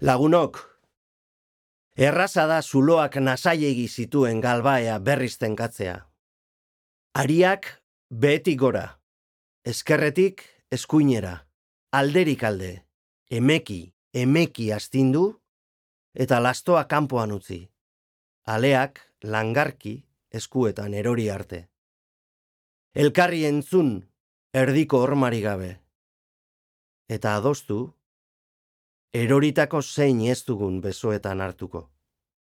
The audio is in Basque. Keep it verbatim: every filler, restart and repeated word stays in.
Lagunok, erraza da zuloak nasaiegi zituen galbaea berriz tenkatzea. Ariak behetik gora, ezkerretik eskuinera, alderik alde, emeki, emeki astindu, eta lastoa kanpoan utzi. Aleak langarki eskuetan erori arte. Elkarri entzun erdiko hormari gabe. Eta adostu, eroritako zein ez dugun besoetan hartuko.